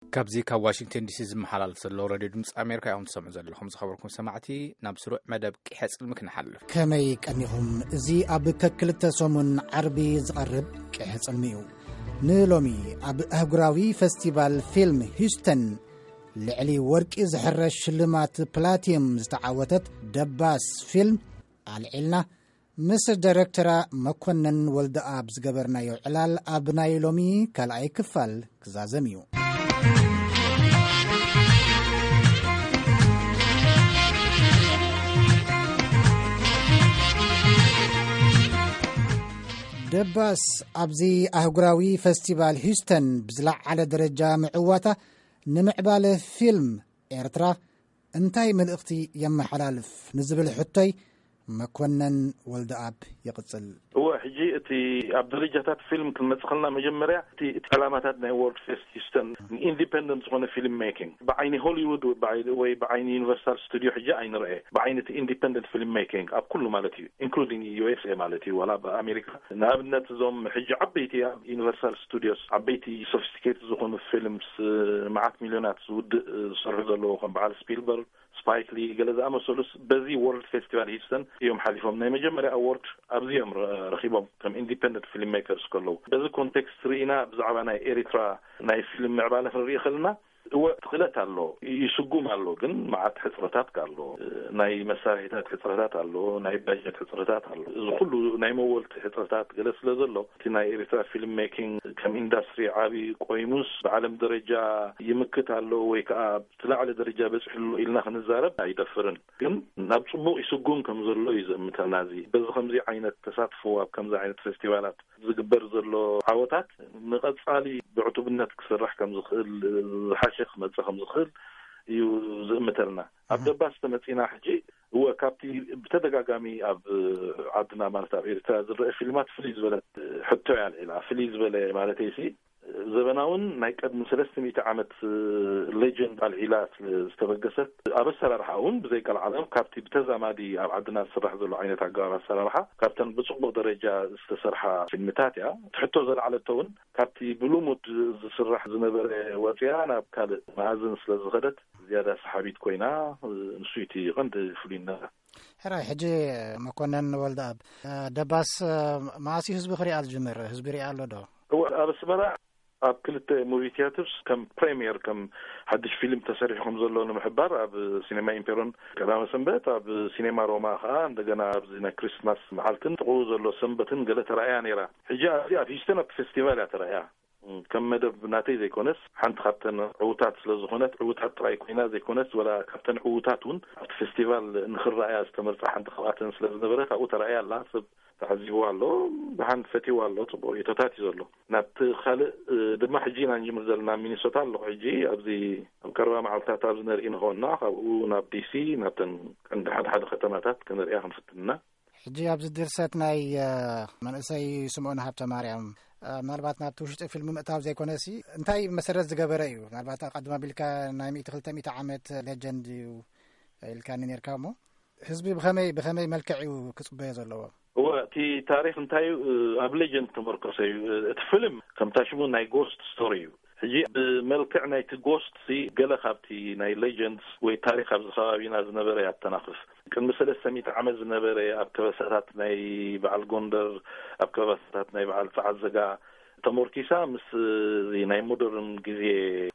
ካብዚ ካብ ዋሽንግተን ዲሲ ዝመሓላለፍ ዘሎ ሬድዮ ድምፂ ኣሜሪካ እዮም ትሰምዑ ዘለኹም። ዝኸበርኩም ሰማዕቲ፣ ናብ ስሩዕ መደብ ቂሐ ጽልሚ ክንሓልፍ። ከመይ ቀኒኹም? እዚ ኣብ ከክልተ ሰሙን ዓርቢ ዝቐርብ ቂሐ ጽልሚ እዩ። ንሎሚ ኣብ ኣህጉራዊ ፈስቲቫል ፊልም ሂውስተን ልዕሊ ወርቂ ዝሕረሽ ሽልማት ፕላቲየም ዝተዓወተት ደባስ ፊልም ኣልዒልና ምስ ዳይረክተራ መኮነን ወልደኣብ ዝገበርናዮ ዕላል ኣብ ናይ ሎሚ ካልኣይ ክፋል ክዛዘም እዩ። ደባስ ኣብዚ ኣህጉራዊ ፈስቲቫል ሂውስተን ብዝለዓለ ደረጃ ምዕዋታ ንምዕባለ ፊልም ኤርትራ እንታይ መልእኽቲ የመሓላልፍ ንዝብል ሕቶይ መኮነን ወልደኣብ ይቕጽል። እወ፣ ሕጂ እቲ ኣብ ደረጃታት ፊልም ክንመጽእ ከለና መጀመርያ እቲ፣ እቲ ዕላማታት ናይ ወርልድ ፌስት ሂውስተን ኢንዲፐንደንት ዝኾነ ፊልም ሜኪንግ ብዓይኒ ሆሊውድ ወይ ብዓይ-፣ ወይ ብዓይኒ ዩኒቨርሳል ስቱዲዮ ሕጂ ኣይንርአ። ብዓይኒ እቲ ኢንዲፐንደንት ፊልም ሜኪንግ ኣብ ኩሉ ማለት እዩ፣ ኢንክሉዲንግ ዩ ኤስ ኤ ማለት እዩ፣ ዋላ ኣብ ኣሜሪካ። ንኣብነት እዞም ሕጂ ዓበይቲ ኣብ ዩኒቨርሳል ስቱዲዮስ ዓበይቲ ሶፊስቲኬትድ ዝኾኑ ፊልምስ መዓት ሚልዮናት ዝውድእ ዝሰርሑ ዘለዉ ከም በዓል ስፒልበርግ፣ ስፓይክ ሊ ገለ ዝኣመሰሉስ በዚ ወርልድ ፌስቲቫል ሂውስተን እዮም ሓሊፎም። ናይ መጀመርያ ኣዎርድ ኣብዚ እዮም ረ-፣ ረኺቦም ከም ኢንዲፐንደንት ፊልም ሜከርስ ከለዉ። በዚ ኮንቴክስት ርኢና ብዛዕባ ናይ ኤሪትራ ናይ ፊልም ምዕባለ ክንርኢ ከለና እወ እቲ ክእለት ኣሎ፣ ይስጉም ኣሎ፣ ግን መዓት ሕጽረታት ኣሎ። ናይ መሳርሒታት ሕጽረታት ኣሎ፣ ናይ ባጀት ሕጽረታት ኣሎ። እዚ ኩሉ ናይ መወልቲ ሕጽረታት ገለ ስለ ዘሎ እቲ ናይ ኤሪትራ ፊልም ሜኪንግ ከም ኢንዳስትሪ ዓቢ ቆይሙስ ብዓለም ደረጃ ይምክት ኣሎ ወይ ከኣ እቲ ላዕሊ ደረጃ በጺሑ ኣሎ ኢልና ክንዛረብ ኣይደፍርን። ግን ናብ ጽቡቕ ይስጉም ከም ዘሎ እዩ ዝእምተና። እዚ በዚ ከምዚ ዓይነት ተሳትፎ ኣብ ከምዚ ዓይነት ፌስቲቫላት ዝግበር ዘሎ ዓወታት ንቐጻሊ ብዕቱብነት ክስራሕ ከም ዝኽእል፣ ዝሓሸ ክመጽእ ከም ዝኽእል እዩ ዝእምተልና። ኣብ ደባስ ተመጺና ሕጂ እወ ካብቲ ብተደጋጋሚ ኣብ ዓድና ማለት ኣብ ኤርትራ ዝረአ ፊልማት ፍልይ ዝበለት ሕቶ እያ ኣልዒላ። ፍልይ ዝበለ ማለተይሲ ዘበናውን ናይ ቀድሚ ሰለስተ ሚእቲ ዓመት ሌጀንድ ኣልዒላ ዝተበገሰት ኣብ ኣሰራርሓ እውን ብዘይ ቀልዓለም ካብቲ ብተዛማዲ ኣብ ዓድና ዝስራሕ ዘሎ ዓይነት ኣገባብ ኣሰራርሓ ካብተን ብጽቡቕ ደረጃ ዝተሰርሓ ፊልምታት እያ። እቲ ሕቶ ዘልዓለቶ እውን ካብቲ ብልሙድ ዝስራሕ ዝነበረ ወፂኣ ናብ ካልእ መኣዝን ስለ ዝኸደት ዝያዳ ሰሓቢት ኮይና፣ ንሱ እቲ ቀንዲ ፍሉይነታ። ሕራይ፣ ሕጂ መኮነን ወልደኣብ፣ ደባስ መዓስ እዩ ህዝቢ ክሪኣ ዝጅምር? ህዝቢ ሪኣ ኣሎ ዶ? እወ፣ ኣብ ኣስመራ ኣብ ክልተ ሙቪ ቲያትርስ ከም ፕሬምየር፣ ከም ሓድሽ ፊልም ተሰሪሑ ከም ዘሎ ንምሕባር ኣብ ሲኔማ ኢምፔሮን ቀዳመ ሰንበት፣ ኣብ ሲኔማ ሮማ ከዓ እንደገና ኣብዚ ናይ ክሪስማስ መዓልትን ጥቕኡ ዘሎ ሰንበትን ገለ ተራእያ ነይራ። ሕጂ ኣብዚ ኣብ ሂውስተን ኣብቲ ፌስቲቫል እያ ተራእያ። ከም መደብ ናተይ ዘይኮነስ ሓንቲ ካብተን ዕዉታት ስለ ዝኾነት፣ ዕዉታት ጥራይ ኮይና ዘይኮነስ ወላ ካብተን ዕዉታት እውን ኣብቲ ፌስቲቫል ንኽረኣያ ዝተመርጻ ሓንቲ ካብኣተን ስለ ዝነበረት ኣብኡ ተራእያ ኣላ። ሰብ ተዓዚብዋ ኣሎ፣ ብሓን ፈትይዋ ኣሎ፣ ጽቡቕ እቶታት እዩ ዘሎ። ናብቲ ካልእ፣ እ፣ ድማ ሕጂ ኢና ንጅምር ዘለና። ኣብ ሚኒሶታ ኣለኹ ሕጂ። ኣብዚ ኣብ ቀረባ መዓልትታት ኣብዚ ነርኢ ንኸውና ካብኡ ናብ ዲ ሲ ናብተን ቀንዲ ሓደ ሓደ ከተማታት ክንርእያ ክንፍትን ኢና። ሕጂ ኣብዚ ድርሰት ናይ፣ እ፣ መንእሰይ ስምኦን ሃብተ ማርያም፣ እ፣ ምናልባት ናብቲ ውሽጢ ፊልም ምእታው ዘይኮነሲ እንታይ መሰረት ዝገበረ እዩ? ምናልባት ኣቐድም ኣቢልካ ናይ ሚእቲ ክልተ ሚእቲ ዓመት ሌጀንድ እዩ ኢልካኒ ነርካ እሞ ህዝቢ ብኸመይ፣ ብኸመይ መልክዕ እዩ ክጽበዮ ዘለዎ? እወ፣ እቲ ታሪኽ እንታይ እዩ? ኣብ ሌጀንድ ተመርኮሰ እዩ። እቲ ፊልም ከምታ ሽሙ ናይ ጎስት ስቶሪ እዩ። ሕጂ ብመልክዕ ናይቲ ጎስት ሲ ገለ ካብቲ ናይ ሌጀንድስ ወይ ታሪኽ ኣብዚ ከባቢና ዝነበረ ያተናኽፍ። ቅድሚ ሰለስተ ሚእቲ ዓመት ዝነበረ ኣብ ከበሳታት ናይ በዓል ጎንደር፣ ኣብ ከበሳታት ናይ በዓል ጸዓዘጋ ተሞርኪሳ ምስ እዚ ናይ ሞደርን ግዜ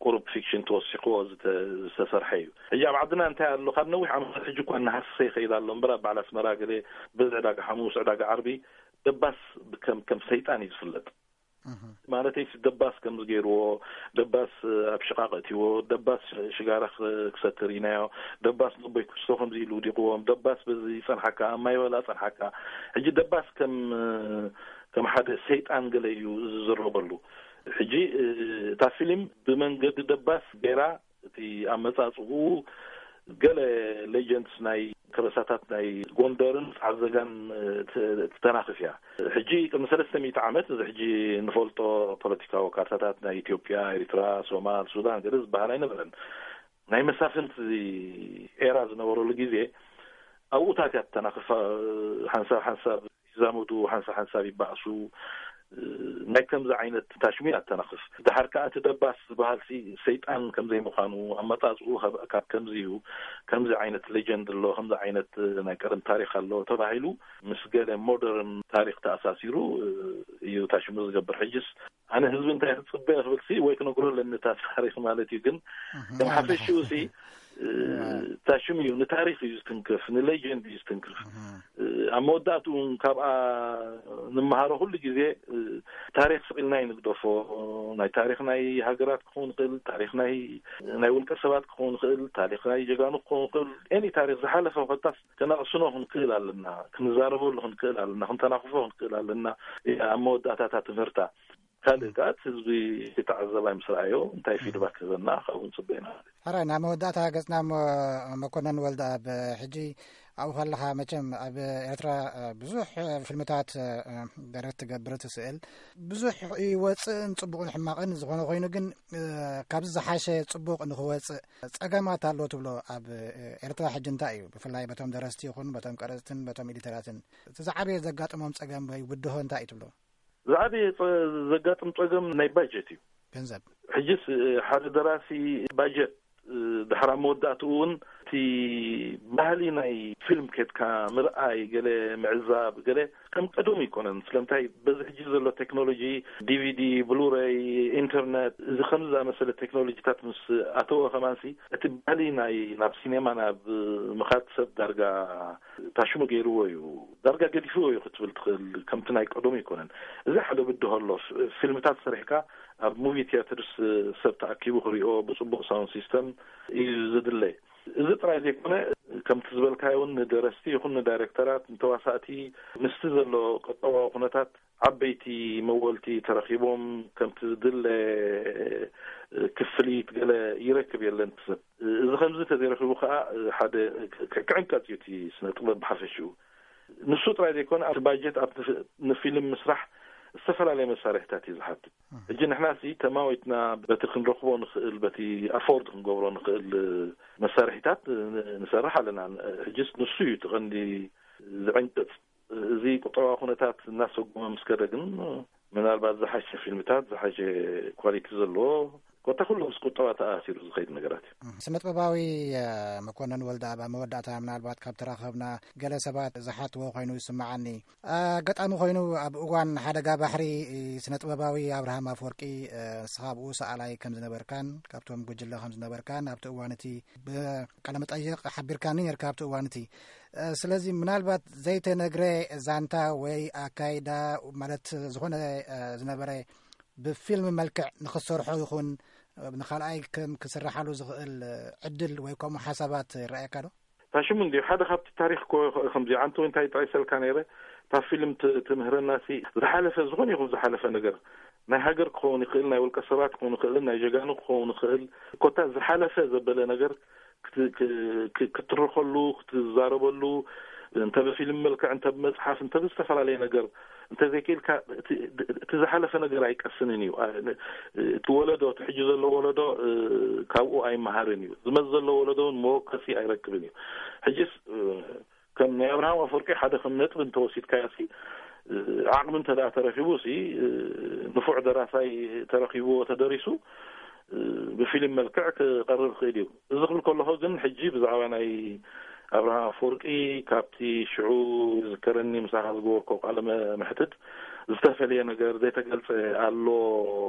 ቁሩብ ፊክሽን ተወሲኽዎ ዝተ-፣ ዝተሰርሐ እዩ። ሕጂ ኣብ ዓድና እንታይ ኣሎ? ካብ ነዊሕ ዓመታት ሕጂ እኳ እናሃሰሰ ይኸይድ ኣሎ እምበር ኣብ በዓል ኣስመራ ገለ በዚ ዕዳጋ ሓሙስ፣ ዕዳጋ ዓርቢ ደባስ ከም፣ ከም ሰይጣን እዩ ዝፍለጥ። እህ። ማለተይ ደባስ ከምዚ ገይርዎ፣ ደባስ ኣብ ሽቓቕ እትዎ፣ ደባስ ሽጋራ ክሰክር ኢናዮ፣ ደባስ ነቦይ ክስቶ ከምዚ ኢሉ ውዲቕዎም፣ ደባስ በዚ ጸንሓካ፣ ኣብ ማይ በላ ጸንሓካ። ሕጂ ደባስ ከም፣ ከም ሓደ ሰይጣን ገለ እዩ ዝዝረበሉ። ሕጂ፣ እ፣ እታ ፊልም ብመንገዲ ደባስ ገይራ እቲ ኣመጻጽኡ ገለ ሌጀንድስ ናይ ከበሳታት ናይ ጎንደርን ጻዕዘጋን፣ እ፣ ት-፣ ትተናኽፍ እያ። ሕጂ ቅድሚ ሰለስተ ሚእቲ ዓመት እዚ ሕጂ ንፈልጦ ፖለቲካዊ ካርታታት ናይ ኢትዮጵያ፣ ኤሪትራ፣ ሶማል፣ ሱዳን ገለ ዝበሃል ኣይነበረን። ናይ መሳፍንቲ ኤራ ዝነበረሉ ግዜ ኣብኡታት እያ ትተናኽፍ። ሓንሳብ ሓንሳብ ይዛመዱ፣ ሓንሳብ ሓንሳብ ይባእሱ። ናይ ከምዚ ዓይነት ታሽሙ ኣተናኽፍ። ድሓር ከኣ እቲ ደባስ ዝበሃል ሲ ሰይጣን ከምዘይ ምዃኑ ኣመጻጽኡ ካብ ከምዚ እዩ። ከምዚ ዓይነት ሌጀንድ ኣሎ፣ ከምዚ ዓይነት ናይ ቀደም ታሪኽ ኣሎ ተባሂሉ ምስ ገለ ሞደርን ታሪኽ ተኣሳሲሩ እዩ ታሽሙ ዝገብር። ሕጅስ ኣነ ህዝቢ እንታይ ክጽበ ክብል ሲ ወይ ክነግሮ ኣለኒ እታ ታሪኽ ማለት እዩ። ግን ከም ሓፈሽኡ ሲ ታሽም እዩ፣ ንታሪኽ እዩ ዝትንክፍ፣ ንሌጀንድ እዩ ዝትንክፍ። ኣብ መወዳእትኡ እውን ካብኣ ንምሃሮ ኩሉ ግዜ ታሪኽ ስቕ ኢልና ይንግደፎ። ናይ ታሪኽ ናይ ሃገራት ክኸውን ይኽእል፣ ታሪኽ ናይ ናይ ውልቀ ሰባት ክኸውን ይኽእል፣ ታሪኽ ናይ ጀጋኑ ክኸውን ይኽእል። ኤኒ ታሪኽ ዝሓለፈ ኮታስ ከነቕስኖ ክንክእል ኣለና፣ ክንዛረበሉ ክንክእል ኣለና፣ ክንተናኽፎ ክንክእል ኣለና። ኣብ መወዳእታታ ትምህርታ ካልእ ከኣ ህዝቢ ክተዓዘባ ምስ ረኣዮ እንታይ ፊድባክ ክህበና ካብኡ ንጽበ ኢና። ሕራይ ናብ መወዳእታ ገጽና እሞ መኮነን ወልደ ኣብ ሕጂ ኣብኡ ከለኻ መቸም ኣብ ኤርትራ ብዙሕ ፊልምታት ደረት ትገብር ትስእል ብዙሕ ይወፅእን ፅቡቕን ሕማቕን ዝኾነ ኮይኑ ግን ካብዚ ዝሓሸ ፅቡቕ ንክወፅእ ፀገማት ኣሎ ትብሎ ኣብ ኤርትራ ሕጂ እንታይ እዩ ብፍላይ በቶም ደረስቲ ይኹን በቶም ቀረፅትን በቶም ኤዲተራትን እቲ ዝዓበየ ዘጋጥሞም ፀገም ወይ ብድሆ እንታይ እዩ ትብሎ? ዝዓበየ ዘጋጥም ጸገም ናይ ባጀት እዩ። ገንዘብ ሕጅስ ሓደ ደራሲ ባጀት ድሕራ መወዳእትኡ እውን እቲ ባህሊ ናይ ፊልም ኬድካ ምርኣይ ገለ ምዕዛብ ገለ ከም ቀደሙ ይኮነን። ስለምንታይ በዚ ሕጂ ዘሎ ቴክኖሎጂ ዲቪዲ፣ ብሉረይ፣ ኢንተርነት እዚ ከምዚ ዝኣመሰለ ቴክኖሎጂታት ምስ ኣተወ ከማንሲ እቲ ባህሊ ናይ ናብ ሲኔማ ናብ ምኻድ ሰብ ዳርጋ ታሽሙ ገይርዎ እዩ። ዳርጋ ገዲፍዎ እዩ ክትብል ትኽእል። ከምቲ ናይ ቀደሙ ኣይኮነን። እዚ ሓደ ብድሆ ኣሎ። ፊልምታት ሰሪሕካ ኣብ ሙቪ ቲያትርስ ሰብ ተኣኪቡ ክሪኦ ብፅቡቕ ሳውንድ ሲስተም እዩ ዝድለ። እዚ ጥራይ ዘይኮነ ከምቲ ዝበልካዮ እውን ንደረስቲ ይኹን ንዳይሬክተራት ንተዋሳእቲ ምስቲ ዘሎ ቀጠባዊ ኩነታት ዓበይቲ መወልቲ ተረኺቦም ከምቲ ዝድለ ክፍሊት ገለ ይረክብ የለን ሰብ። እዚ ከምዚ ተዘይረኪቡ ከዓ ሓደ ክዕንቀፅ እዩ እቲ ስነ ጥበብ ብሓፈሽኡ። ንሱ ጥራይ ዘይኮነ ኣብቲ ባጀት ኣብ ንፊልም ምስራሕ ዝተፈላለየ መሳርሕታት እዩ ዝሓትት። ሕጂ ንሕና ሲ ተማዊትና በቲ ክንረክቦ ንኽእል በቲ ኣፎርድ ክንገብሮ ንኽእል መሳርሒታት ንሰርሕ ኣለና። ሕጅስ ንሱ እዩ እቲ ቀንዲ ዝዕንቅፅ። እዚ ቁጠባዊ ኩነታት እናሰጉመ ምስ ከደ ግን ምናልባት ዝሓሸ ፊልምታት ዝሓሸ ኳሊቲ ዘለዎ ኮታ ኩሉ ምስ ቁጠባ ተኣሲሩ ዝኸይድ ነገራት እዩ። ስነ ጥበባዊ መኮነን ወልደ ኣብ መወዳእታ ምናልባት ካብ ተራኸብና ገለ ሰባት ዝሓትዎ ኮይኑ ይስምዓኒ። ኣጋጣሚ ኮይኑ ኣብ እዋን ሓደጋ ባሕሪ ስነ ጥበባዊ ኣብርሃም ኣፈወርቂ ንስኻ ኣብኡ ሰኣላይ ከም ዝነበርካን ካብቶም ጉጅለ ከም ዝነበርካን ኣብቲ እዋን እቲ ብቃለመጠይቕ ሓቢርካኒ ነርካ ኣብቲ እዋን እቲ ስለዚ ምናልባት ዘይተነግረ ዛንታ ወይ ኣካይዳ ማለት ዝኾነ ዝነበረ ብፊልም መልክዕ ንኽሰርሖ ይኹን ንኻልኣይ ከም ክስርሓሉ ዝኽእል ዕድል ወይ ከምኡ ሓሳባት ይረኣየካ ዶ? ታሽሙ እንዲዩ ሓደ ካብቲ ታሪኽ ኮ ከምዚ ዓንቶ እንታይ ጠቂሰልካ ነይረ እታ ፊልም ትምህረና ሲ ዝሓለፈ ዝኾነ ይኹን ዝሓለፈ ነገር ናይ ሃገር ክኸውን ይኽእል ናይ ውልቀ ሰባት ክኸውን ይኽእል ናይ ጀጋኑ ክኸውን ይኽእል ኮታ ዝሓለፈ ዘበለ ነገር ክትርኸሉ ክትዛረበሉ እንተ ብፊልም መልክዕ እንተ ብመፅሓፍ እንተ ብዝተፈላለየ ነገር እንተዘይክኢልካ እቲ ዝሓለፈ ነገር ኣይቀስንን እዩ። እቲ ወለዶ እቲ ሕጂ ዘሎ ወለዶ ካብኡ ኣይመሃርን እዩ። ዝመፅ ዘሎ ወለዶ እውን መወከሲ ኣይረክብን እዩ። ሕጂስ ከም ናይ ኣብርሃም ኣፈወርቂ ሓደ ከም ነጥቢ እንተወሲድካዮ ሲ ዓቕሚ እንተ ደኣ ተረኪቡ ሲ ንፉዕ ደራሳይ ተረኪብዎ ተደሪሱ ብፊልም መልክዕ ክቐርብ ክእል እዩ። እዚ ክብል ከለኹ ግን ሕጂ ብዛዕባ ናይ ኣብርሃም ኣፈወርቂ ካብቲ ሽዑ ዝከረኒ ምሳኻ ዝገበርኮ ቃለ መሕትት ዝተፈለየ ነገር ዘይተገልጸ ኣሎ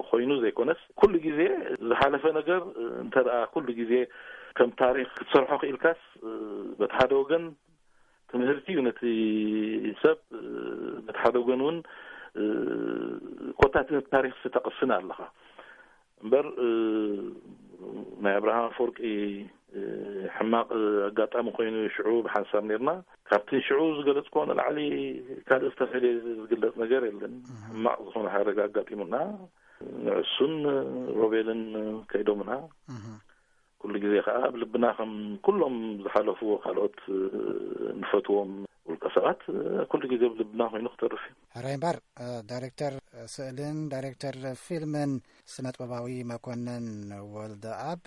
ኮይኑ ዘይኮነስ ኩሉ ግዜ ዝሓለፈ ነገር እንተ ደኣ ኩሉ ግዜ ከም ታሪኽ ክትሰርሖ ክኢልካስ በቲ ሓደ ወገን ትምህርቲ እዩ ነቲ ሰብ በቲ ሓደ ወገን እውን ኮታ እቲ ታሪኽ ተቕስን ኣለኻ እምበር ናይ ኣብርሃም ኣፈወርቂ ሕማቕ ኣጋጣሚ ኮይኑ ሽዑ ብሓንሳብ ነርና ካብቲ ሽዑ ዝገለፅኮ ንላዕሊ ካልእ ዝተፈለየ ዝግለፅ ነገር የለን። ሕማቕ ዝኾነ ሓደጋ ኣጋጢሙና ንዕሱን ሮቤልን ከይዶምና ኩሉ ግዜ ከዓ ኣብ ልብና ከም ኩሎም ዝሓለፍዎ ካልኦት ንፈትዎም ውልቀ ሰባት ኩሉ ግዜ ኣብ ልብና ኮይኑ ክተርፍ እዩ። ሕራይ እምበር ዳይሬክተር ስእልን ዳይሬክተር ፊልምን ስነጥበባዊ መኮንን ወልደኣብ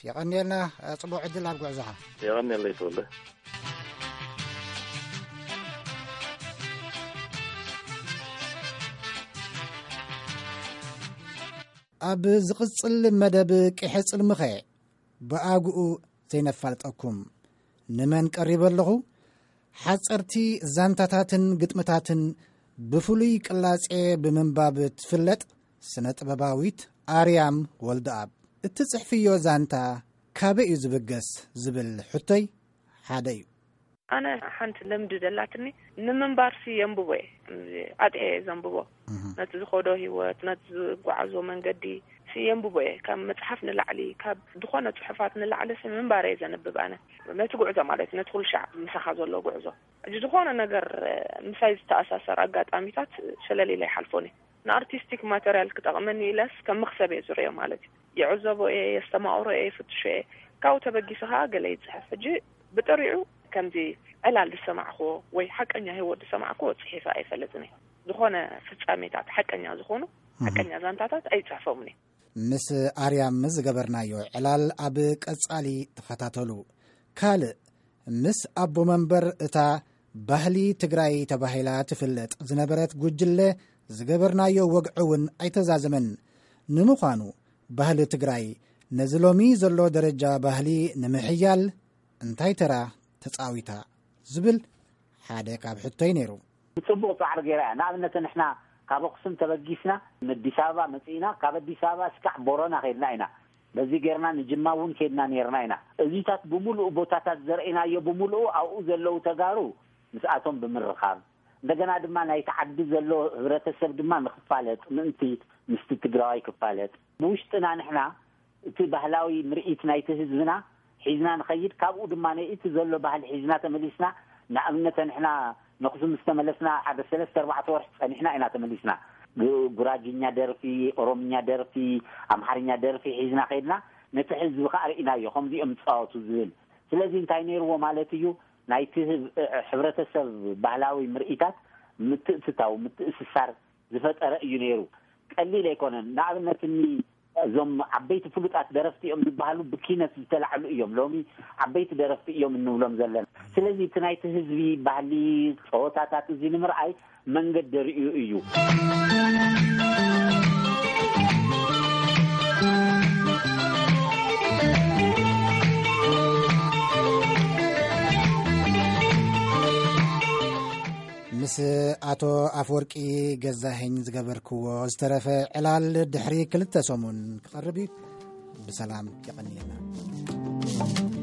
የቐንየልና። ጽቡቕ ዕድል ኣብ ጉዕዞኻ። የቐንየለይ ተወልደ። ኣብ ዝቕጽል መደብ ቅሐ ጽልምኸ ብኣግኡ ዘይነፋልጠኩም። ንመን ቀሪበ ኣለኹ? ሓጸርቲ ዛንታታትን ግጥምታትን ብፍሉይ ቅላጼ ብምንባብ ትፍለጥ ስነ ጥበባዊት ኣርያም ወልደኣብ። እትጽሕፍዮ ዛንታ ካበይ እዩ ዝብገስ ዝብል ሕቶይ ሓደ እዩ። ኣነ ሓንቲ ልምዲ ደላትኒ፣ ንምንባርሲ የንብቦ እየ። ኣጥዕየ እየ ዘንብቦ። ነቲ ዝኸዶ ህይወት፣ ነቲ ዝጓዓዞ መንገዲ ሲ የንብቦ እየ። ካብ መጽሓፍ ንላዕሊ፣ ካብ ዝኾነ ጽሑፋት ንላዕሊ ሲ ምንባር እየ ዘንብብ ኣነ። ነቲ ጉዕዞ ማለት እዩ፣ ነቲ ኩሉ ሻዕ ምሳኻ ዘሎ ጉዕዞ። ሕጂ ዝኾነ ነገር ምሳይ ዝተኣሳሰር ኣጋጣሚታት ሸለል ኢለ ይሓልፎን እየ። ንኣርቲስቲክ ማተርያል ክጠቕመኒ ኢለስ ከም መኽሰብ እየ ዝርእዮ ማለት እዩ። ይዕዘቦ እየ፣ የስተማቕሮ እየ፣ ይፍትሾ እየ። ካብኡ ተበጊሱ ኸዓ ገለ ይጽሕፍ። ሕጂ ብጥሪዑ ከምዚ ዕላል ዝሰማዕክዎ ወይ ሓቀኛ ህይወት ዝሰማዕክዎ ጽሒፈ ኣይፈልጥን እየ። ዝኾነ ፍጻሜታት ሓቀኛ ዝኾኑ ሓቀኛ ዛንታታት ኣይጽሕፎምን እየ። ምስ ኣርያም ዝገበርናዮ ዕላል ኣብ ቀጻሊ ተኸታተሉ። ካልእ ምስ ኣቦ መንበር እታ ባህሊ ትግራይ ተባሂላ ትፍለጥ ዝነበረት ጉጅለ ዝገበርናዮ ወግዒ እውን ኣይተዛዘመን። ንምዃኑ ባህሊ ትግራይ ነዚ ሎሚ ዘሎ ደረጃ ባህሊ ንምሕያል እንታይ ተራ ተጻዊታ ዝብል ሓደ ካብ ሕቶይ ነይሩ። ጽቡቕ ጻዕሪ ገይራ እያ። ንኣብነት ንሕና ካብ ኣኽሱም ተበጊስና ንኣዲስ ኣበባ መጺእና፣ ካብ ኣዲስ ኣበባ እስካዕ ቦረና ከድና ኢና። በዚ ጌርና ንጅማ እውን ከድና ነርና ኢና። እዚታት ብምሉኡ ቦታታት ዘርእናዮ ብምሉኡ ኣብኡ ዘለዉ ተጋሩ ምስኣቶም ብምርኻብ፣ እንደገና ድማ ናይቲ ዓዲ ዘሎ ህብረተሰብ ድማ ንክፋለጥ ምእንቲ ምስቲ ትግራዋይ ክፋለጥ፣ ብውሽጥና ንሕና እቲ ባህላዊ ምርኢት ናይቲ ህዝብና ሒዝና ንኸይድ። ካብኡ ድማ እቲ ዘሎ ባህሊ ሒዝና ተመሊስና፣ ንኣብነት ንሕና ነኽሱ ምስ ተመለስና ሓደ ሰለስተ ኣርባዕተ ወርሒ ጸኒሕና ኢና ተመሊስና። ግ- ጉራግኛ ደርፊ፣ ኦሮምኛ ደርፊ፣ ኣምሓርኛ ደርፊ ሒዝና ከይድና፣ ነቲ ህዝቢ ከኣ ርኢናዮ ከምዚኦም ዝጻወቱ ዝብል። ስለዚ እንታይ ነይርዎ ማለት እዩ? ናይቲ ህብ- ሕብረተሰብ ባህላዊ ምርኢታት ምትእትታው፣ ምትእስሳር ዝፈጠረ እዩ ነይሩ። ቀሊል ኣይኮነን። ንኣብነት እኒ እዞም ዓበይቲ ፍሉጣት ደረፍቲ እዮም ዝበሃሉ ብኪነት ዝተላዕሉ እዮም። ሎሚ ዓበይቲ ደረፍቲ እዮም እንብሎም ዘለና። ስለዚ እቲ ናይቲ ህዝቢ ባህሊ፣ ጸወታታት እዚ ንምርኣይ መንገዲ ርእዩ እዩ። ምስ ኣቶ ኣፈወርቂ ገዛኸኝ ዝገበርክዎ ዝተረፈ ዕላል ድሕሪ ክልተ ሰሙን ክቐርብ እዩ። ብሰላም የቐንየልና።